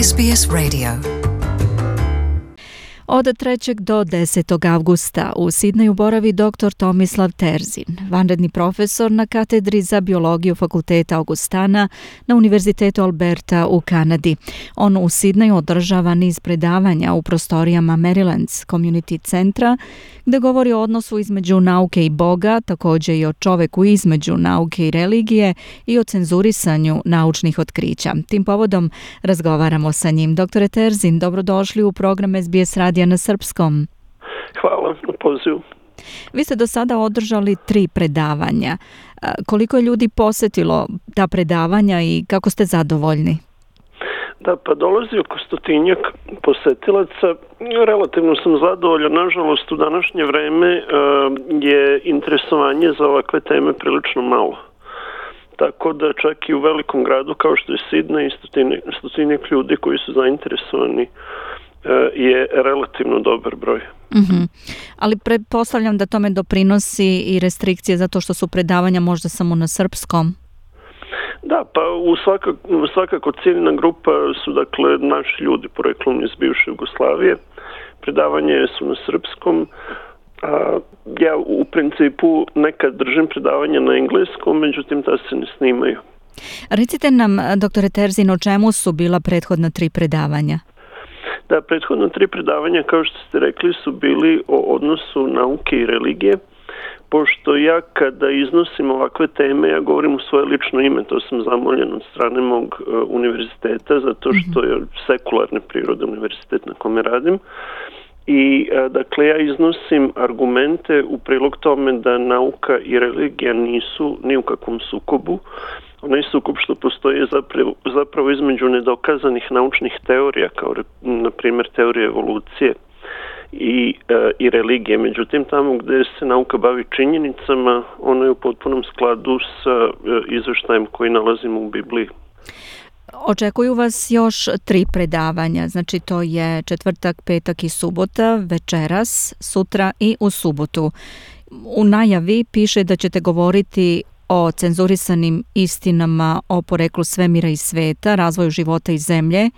SBS Radio. Od 3. do 10. avgusta u Sidneju boravi dr. Tomislav Terzin, vanredni profesor na katedri za biologiju Fakulteta Augustana na Univerzitetu Alberta u Kanadi. On u Sidneju održava niz predavanja u prostorijama Marylands Community Centra, gde govori o odnosu između nauke i Boga, također i o čoveku između nauke i religije i o cenzurisanju naučnih otkrića. Tim povodom razgovaramo sa njim. Doktore Terzin, dobrodošli u program SBS radija na srpskom. Hvala na pozivu. Vi ste do sada održali 3 predavanja. Koliko je ljudi posjetilo ta predavanja i kako ste zadovoljni? Da, pa dolazi oko 100-tinjak posetilaca. Relativno sam zadovoljan. Nažalost, u današnje vreme je interesovanje za ovakve teme prilično malo. Tako da čak i u velikom gradu kao što je Sidney, 100-tinjak ljudi koji su zainteresovani je relativno dobar broj. Mm-hmm. Ali pretpostavljam da tome doprinosi i restrikcije zato što su predavanja možda samo na srpskom. Da, pa svakako ciljna grupa su dakle naši ljudi poreklom iz bivše Jugoslavije. Predavanje su na srpskom. Ja u principu nekad držim predavanja na engleskom, međutim ta se ne snimaju. Recite nam, doktore Terzin, o čemu su bila prethodna 3 predavanja? Da, prethodno 3 predavanja, kao što ste rekli, su bili o odnosu nauke i religije. Pošto ja kada iznosim ovakve teme, ja govorim u svoje lično ime, to sam zamoljen od strane mog univerziteta, zato što je sekularne prirode univerzitet na kome radim. I dakle ja iznosim argumente u prilog tome da nauka i religija nisu ni u kakvom sukobu. Onaj sukob što postoji zapravo između nedokazanih naučnih teorija, kao na primjer teorije evolucije i religije. Međutim, tamo gdje se nauka bavi činjenicama, ono je u potpunom skladu sa izveštajem koji nalazimo u Bibliji. Očekuju vas još 3 predavanja, znači to je četvrtak, petak i subota, večeras, sutra i u subotu. U najavi piše da ćete govoriti o cenzurisanim istinama o poreklu svemira i sveta, razvoju života i zemlje.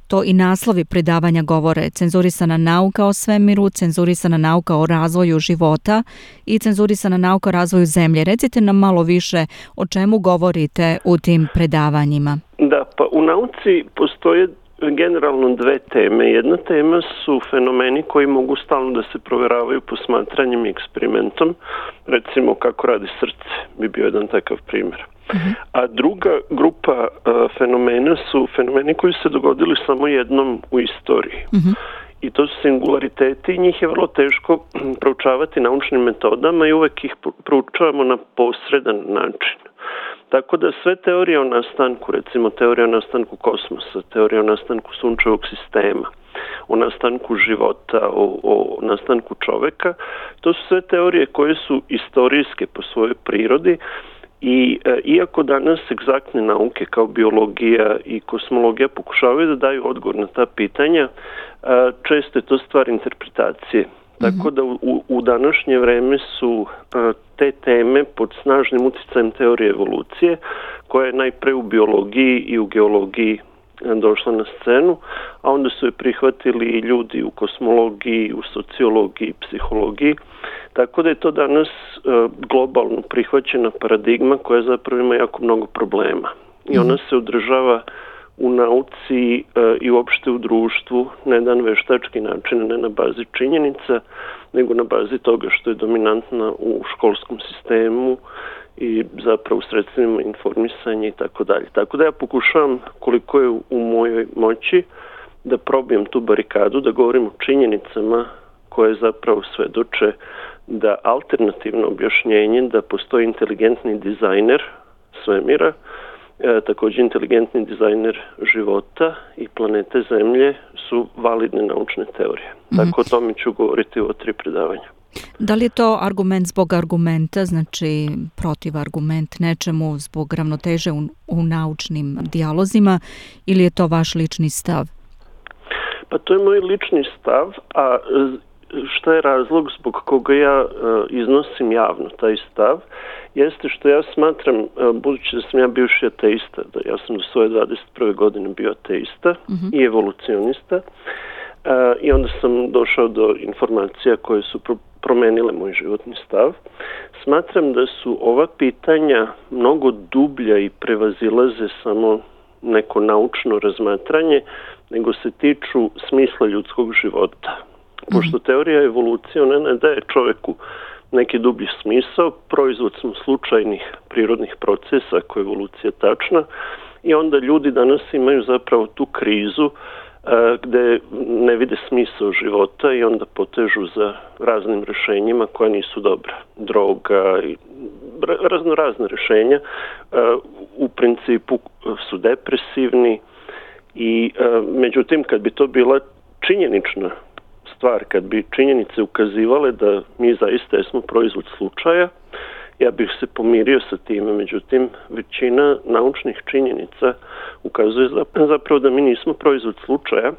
To i naslovi predavanja govore: cenzurisana nauka o svemiru, cenzurisana nauka o razvoju života i cenzurisana nauka o razvoju zemlje. Recite nam malo više o čemu govorite u tim predavanjima. Da, pa u nauci postoje generalno 2 teme. Jedna tema su fenomeni koji mogu stalno da se proveravaju posmatranjem i eksperimentom. Recimo kako radi srce, bi bio jedan takav primjer. A druga grupa fenomena su fenomeni koji se dogodili samo jednom u istoriji. I to su singulariteti i njih je vrlo teško proučavati naučnim metodama i uvek ih proučavamo na posredan način. Tako da sve teorije o nastanku, recimo teorija o nastanku kosmosa, teorija o nastanku sunčevog sistema, o nastanku života, o nastanku čoveka, to su sve teorije koje su istorijske po svojoj prirodi i iako danas egzaktne nauke kao biologija i kosmologija pokušavaju da daju odgovor na ta pitanja, često je to stvar interpretacije. Tako da u današnje vreme su te teme pod snažnim utjecajem teorije evolucije, koja je najpre u biologiji i u geologiji došla na scenu, a onda su je prihvatili i ljudi u kosmologiji, u sociologiji, psihologiji. Tako da je to danas globalno prihvaćena paradigma koja zapravo ima jako mnogo problema. I ona se održava u nauci i uopšte u društvu na jedan veštački način, ne na bazi činjenica, nego na bazi toga što je dominantna u školskom sistemu i zapravo u sredstvima informisanja i tako dalje. Tako da ja pokušavam koliko je u mojoj moći da probijem tu barikadu, da govorim o činjenicama koje zapravo svedoče da alternativno objašnjenje da postoji inteligentni dizajner svemira, također inteligentni dizajner života i planete Zemlje su validne naučne teorije. Tako o tome ću govoriti u 3 predavanja. Da li je to argument zbog argumenta, znači protiv argument nečemu zbog ravnoteže u naučnim dijalozima, ili je to vaš lični stav? Pa to je moj lični stav, a šta je razlog zbog koga ja iznosim javno taj stav jeste što ja smatram, budući da sam ja bivši ateista, da ja sam do svoje 21. godine bio ateista i evolucionista, i onda sam došao do informacija koje su promenile moj životni stav. Smatram da su ova pitanja mnogo dublja i prevazilaze samo neko naučno razmatranje, nego se tiču smisla ljudskog života. Pošto teorija evolucije, ona ne daje čoveku neki dublji smisao, proizvod smo slučajnih prirodnih procesa, ako je evolucija tačna, i onda ljudi danas imaju zapravo tu krizu gde ne vide smisao života i onda potežu za raznim rešenjima koja nisu dobra. Droga i razne rešenja u principu su depresivni i međutim kad bi to bila činjenična stvar, kad bi činjenice ukazivale da mi zaista jesmo proizvod slučaja, ja bih se pomirio sa time, međutim većina naučnih činjenica ukazuje zapravo da mi nismo proizvod slučaja,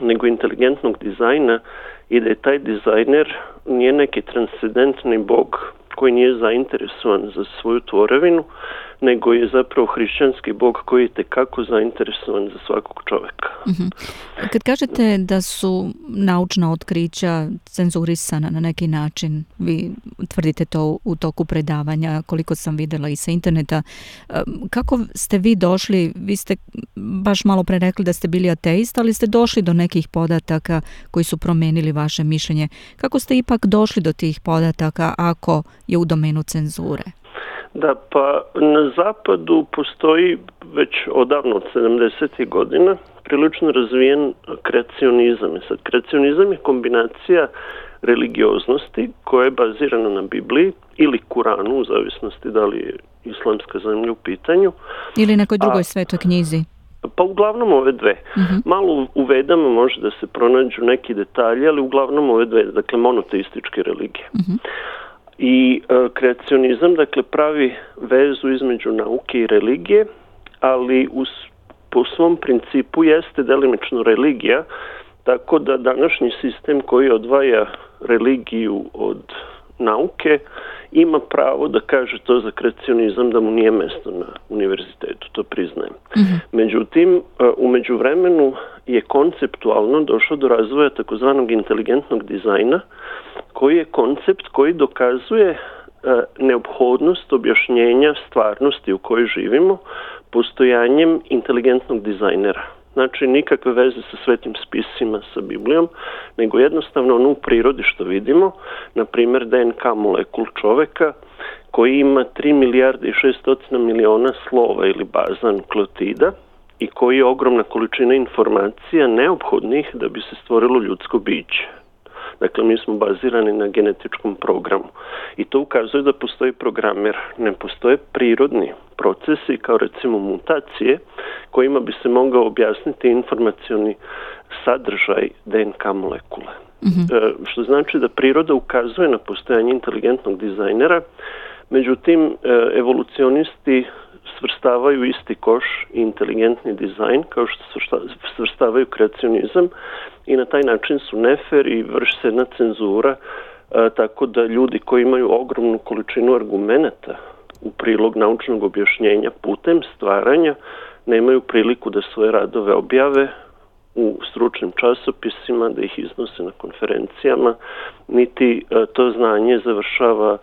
nego inteligentnog dizajna i da je taj dizajner nije neki transcendentni bog koji nije zainteresovan za svoju tvorevinu, nego je zapravo hrišćanski bog koji je tekako zainteresovan za svakog čoveka. Kad kažete da su naučna otkrića cenzurisana na neki način, vi tvrdite to u toku predavanja, koliko sam vidjela i sa interneta, kako ste vi došli, vi ste baš malo pre rekli da ste bili ateist, ali ste došli do nekih podataka koji su promenili vaše mišljenje. Kako ste ipak došli do tih podataka ako je u domenu cenzure? Da, pa na zapadu postoji već odavno od 70. godina prilično razvijen kreacionizam. Sad, kreacionizam je kombinacija religioznosti koja je bazirana na Bibliji ili Kuranu, u zavisnosti da li je islamska zemlja u pitanju. Ili nekoj drugoj svetoj knjizi. Pa uglavnom ove dve. Malo u Vedama može da se pronađu neki detalji, ali uglavnom ove dve, dakle monoteističke religije. I kreacionizam, dakle, pravi vezu između nauke i religije, ali po svom principu jeste delimično religija, tako da današnji sistem koji odvaja religiju od nauke ima pravo da kaže to za kreacionizam da mu nije mesto na univerzitetu, to priznajem. Međutim, u međuvremenu je konceptualno došlo do razvoja takozvanog inteligentnog dizajna, koji je koncept koji dokazuje neophodnost objašnjenja stvarnosti u kojoj živimo postojanjem inteligentnog dizajnera. Znači, nikakve veze sa svetim spisima, sa Biblijom, nego jednostavno ono u prirodi što vidimo, na primjer DNK molekul čoveka koji ima 3 milijarde i 600 miliona slova ili baza nukleotida i koji je ogromna količina informacija neophodnih da bi se stvorilo ljudsko biće. Dakle, mi smo bazirani na genetičkom programu. I to ukazuje da postoji programer. Ne postoje prirodni procesi, kao recimo mutacije, kojima bi se mogao objasniti informacioni sadržaj DNK molekule. Što znači da priroda ukazuje na postojanje inteligentnog dizajnera, međutim, evolucionisti svrstavaju isti koš i inteligentni dizajn, kao što svrstavaju kreacionizam, i na taj način su nefer i vrši se jedna cenzura, tako da ljudi koji imaju ogromnu količinu argumenata u prilog naučnog objašnjenja putem stvaranja nemaju priliku da svoje radove objave u stručnim časopisima, da ih iznose na konferencijama, niti to znanje završava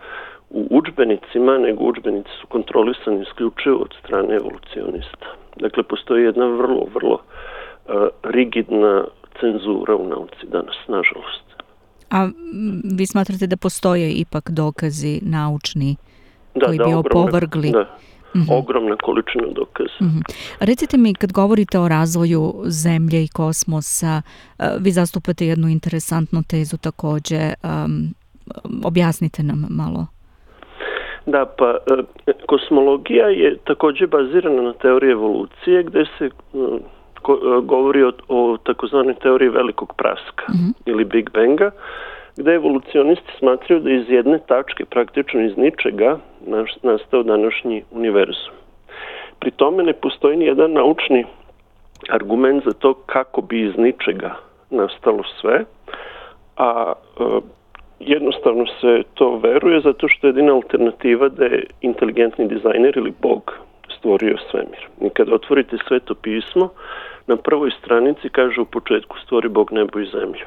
u udžbenicima, nego udžbenici su kontrolisani isključivo od strane evolucionista. Dakle, postoji jedna vrlo rigidna cenzura u nauci danas, nažalost. A vi smatrate da postoje ipak dokazi naučni koji bi opovrgli? Ogromna količina dokaza. Recite mi, kad govorite o razvoju zemlje i kosmosa, vi zastupate jednu interesantnu tezu također. Objasnite nam malo. Da, pa kosmologija je također bazirana na teoriji evolucije, gde se govori o takozvanoj teoriji velikog praska ili Big Banga, gde evolucionisti smatraju da iz jedne tačke, praktično iz ničega, nastao današnji univerzum. Pri tome ne postoji ni jedan naučni argument za to kako bi iz ničega nastalo sve, a jednostavno se to veruje zato što je jedina alternativa da je inteligentni dizajner ili Bog stvorio svemir. I kada otvorite Sveto pismo, na prvoj stranici kaže u početku stvori Bog nebo i zemlju.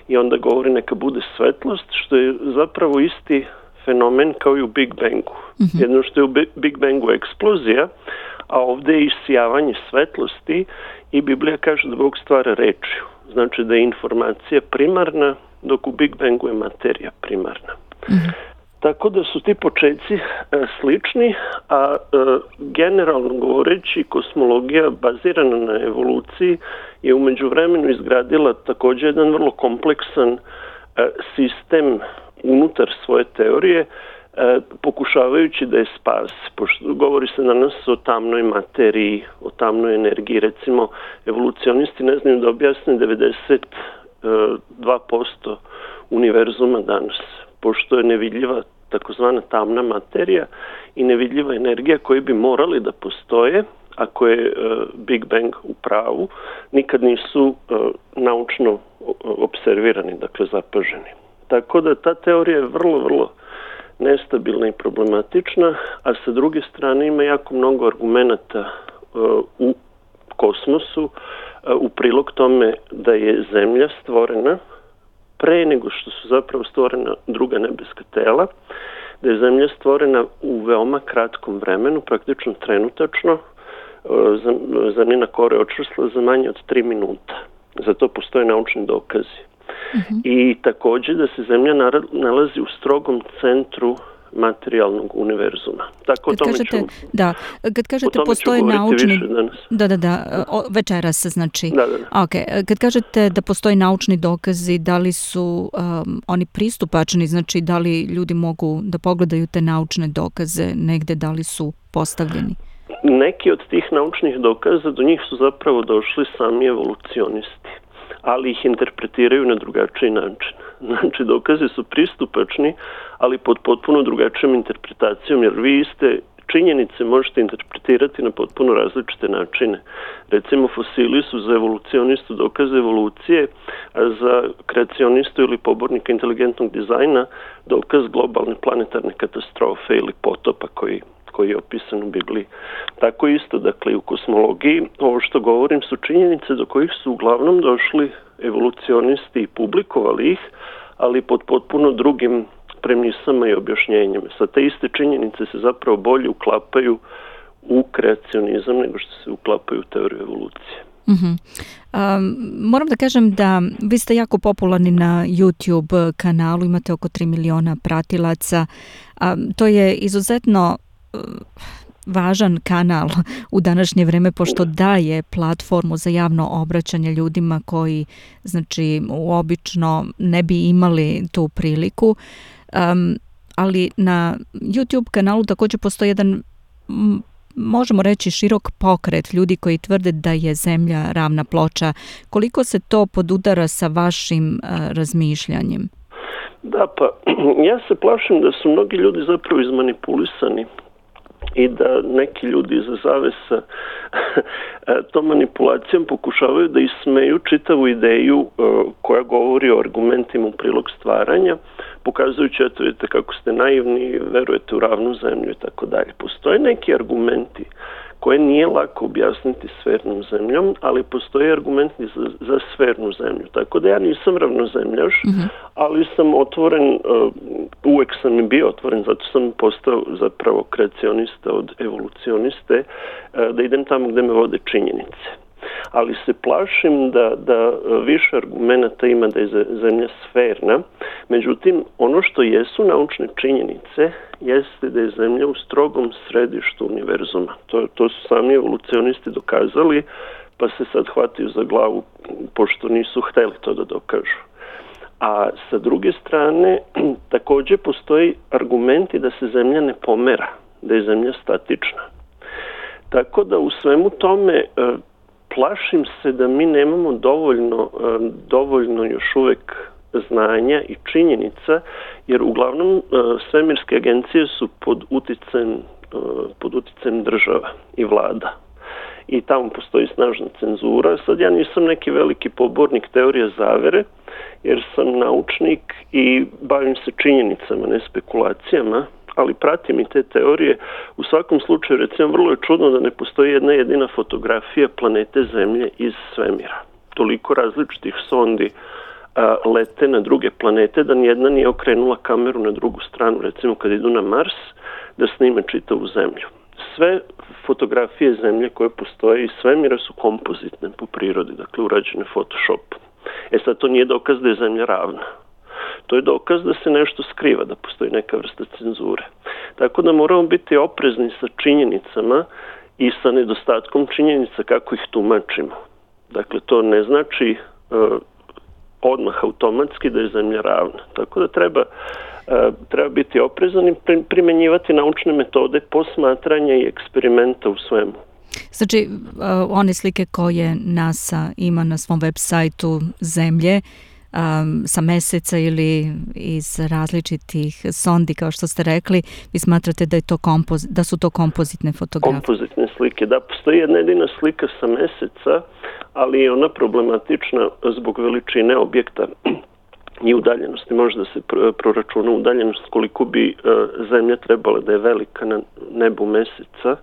I onda govori neka bude svetlost, što je zapravo isti fenomen kao i u Big Bangu. Jedno što je u Big Bangu eksplozija, a ovdje je isijavanje svetlosti i Biblija kaže da Bog stvara rečju. Znači da je informacija primarna, dok u Big Bangu je materija primarna. Tako da su ti početci slični, a generalno govoreći kosmologija bazirana na evoluciji je u međuvremenu izgradila također jedan vrlo kompleksan sistem unutar svoje teorije, pokušavajući da je spasi. Pošto govori se danas o tamnoj materiji, o tamnoj energiji. Recimo, evolucionisti ne znaju da objasne 92% univerzuma danas, pošto je nevidljiva takozvana tamna materija i nevidljiva energija koji bi morali da postoje, ako je Big Bang u pravu, nikad nisu naučno observirani, dakle zapaženi. Tako da ta teorija je vrlo, vrlo nestabilna i problematična, a sa druge strane ima jako mnogo argumenata u kosmosu u prilog tome da je Zemlja stvorena pre nego što su zapravo stvorena druga nebeska tela, da je Zemlja stvorena u veoma kratkom vremenu, praktično trenutačno, Zemljina kora je očvrsla za manje od 3 minuta. Za to postoje naučni dokazi. I također da se Zemlja nalazi u strogom centru materijalnog univerzuma. Tako kad kažete postoje naučni večeras znači. Okay. Kad kažete da postoje naučni dokazi, da li su oni pristupačni, znači da li ljudi mogu da pogledaju te naučne dokaze negde, da li su postavljeni? Neki od tih naučnih dokaza do njih su zapravo došli sami evolucionisti, ali ih interpretiraju na drugačiji način. Znači, dokazi su pristupačni, ali pod potpuno drugačijom interpretacijom, jer vi iste činjenice možete interpretirati na potpuno različite načine. Recimo, fosili su za evolucionistu dokaz evolucije, a za kreacionistu ili pobornika inteligentnog dizajna dokaz globalne planetarne katastrofe ili potopa koji je opisan u Bibliji. Tako isto, dakle, u kosmologiji, ovo što govorim su činjenice do kojih su uglavnom došli evolucionisti i publikovali ih, ali pod potpuno drugim premisama i objašnjenjima. Sa te iste činjenice se zapravo bolje uklapaju u kreacionizam nego što se uklapaju u teoriju evolucije. Moram da kažem da vi ste jako popularni na YouTube kanalu, imate oko 3 miliona pratilaca. To je izuzetno važan kanal u današnje vreme, pošto daje platformu za javno obraćanje ljudima koji, znači, obično ne bi imali tu priliku. Ali na YouTube kanalu također postoji jedan, možemo reći, širok pokret ljudi koji tvrde da je Zemlja ravna ploča. Koliko se to podudara sa vašim razmišljanjem? Da, pa ja se plašim da su mnogi ljudi zapravo izmanipulisani i da neki ljudi iza zavesa tom manipulacijom pokušavaju da ismeju čitavu ideju koja govori o argumentima u prilog stvaranja, pokazujući, eto, vidite kako ste naivni, verujete u ravnu zemlju i tako dalje. Postoje neki argumenti koje nije lako objasniti sfernom zemljom, ali postoje argumenti za sfernu zemlju. Tako da ja nisam ravnozemljaš, ali sam otvoren, uvek sam i bio otvoren, zato sam postao zapravo kreacionista od evolucioniste, da idem tamo gde me vode činjenice. Ali se plašim da više argumenta ima da je Zemlja sferna. Međutim, ono što jesu naučne činjenice jeste da je Zemlja u strogom središtu univerzuma. To su sami evolucionisti dokazali, pa se sad hvataju za glavu pošto nisu hteli to da dokažu. A sa druge strane, također postoji argumenti da se Zemlja ne pomera, da je Zemlja statična. Tako da u svemu tome plašim se da mi nemamo dovoljno još uvek znanja i činjenica, jer uglavnom svemirske agencije su pod uticajem država i vlada. I tamo postoji snažna cenzura. Sad ja nisam neki veliki pobornik teorije zavere jer sam naučnik i bavim se činjenicama, ne spekulacijama, ali pratim i te teorije. U svakom slučaju, recimo, vrlo je čudno da ne postoji jedna jedina fotografija planete Zemlje iz svemira. Toliko različitih sondi lete na druge planete da nijedna nije okrenula kameru na drugu stranu, recimo kad idu na Mars, da snime čitavu Zemlju. Sve fotografije Zemlje koje postoje iz svemira su kompozitne po prirodi, dakle urađene Photoshopom. Sad to nije dokaz da je Zemlja ravna. To je dokaz da se nešto skriva, da postoji neka vrsta cenzure. Tako da moramo biti oprezni sa činjenicama i sa nedostatkom činjenica kako ih tumačimo. Dakle, to ne znači odmah automatski da je Zemlja ravna. Tako da treba biti oprezan i primenjivati naučne metode posmatranja i eksperimenta u svemu. Znači, one slike koje NASA ima na svom web sajtu Zemlje, sa Meseca ili iz različitih sondi, kao što ste rekli, vi smatrate da je to da su to kompozitne fotografije? Kompozitne slike, da. Postoji jedna jedina slika sa Meseca, ali je ona problematična zbog veličine objekta i udaljenosti. Može da se proračuna udaljenost koliko bi Zemlja trebala da je velika na nebu Meseca.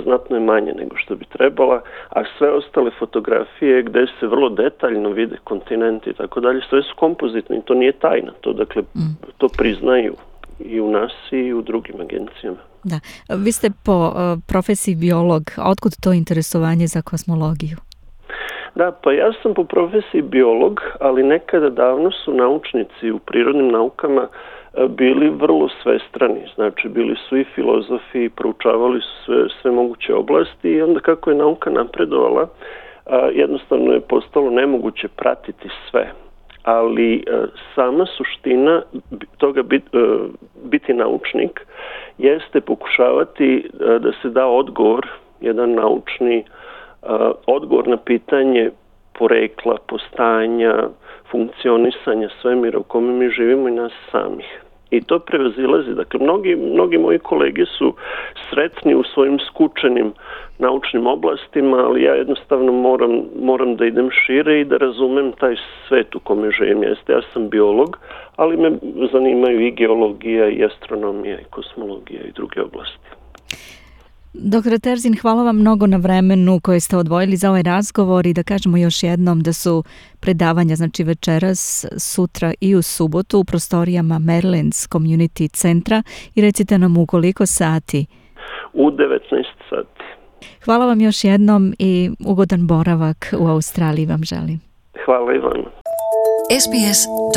Znatno je manje nego što bi trebala, a sve ostale fotografije gde se vrlo detaljno vide kontinenti i tako dalje, sve su kompozitne i to nije tajna. To priznaju i u NASA i u drugim agencijama. Da. Vi ste po profesiji biolog, a otkud to interesovanje za kosmologiju? Da, pa ja sam po profesiji biolog, ali nekada davno su naučnici u prirodnim naukama bili vrlo svestrani, znači bili su i filozofi, proučavali su sve moguće oblasti i onda kako je nauka napredovala, jednostavno je postalo nemoguće pratiti sve. Ali sama suština toga biti naučnik jeste pokušavati da se da odgovor, jedan naučni odgovor na pitanje porekla, postajanja, funkcionisanja svemira u kome mi živimo i nas samih. I to prevazilazi. Dakle, mnogi moji kolege su sretni u svojim skučenim naučnim oblastima, ali ja jednostavno moram da idem šire i da razumem taj svet u kome živim. Ja sam biolog, ali me zanimaju i geologija, i astronomija, i kosmologija i druge oblasti. Dr. Terzin, hvala vam mnogo na vremenu koje ste odvojili za ovaj razgovor i da kažemo još jednom da su predavanja, znači večeras, sutra i u subotu u prostorijama Marylands Community centra i recite nam u koliko sati? U 19 sati. Hvala vam još jednom i ugodan boravak u Australiji vam želim. Hvala i vama. SBS.com.au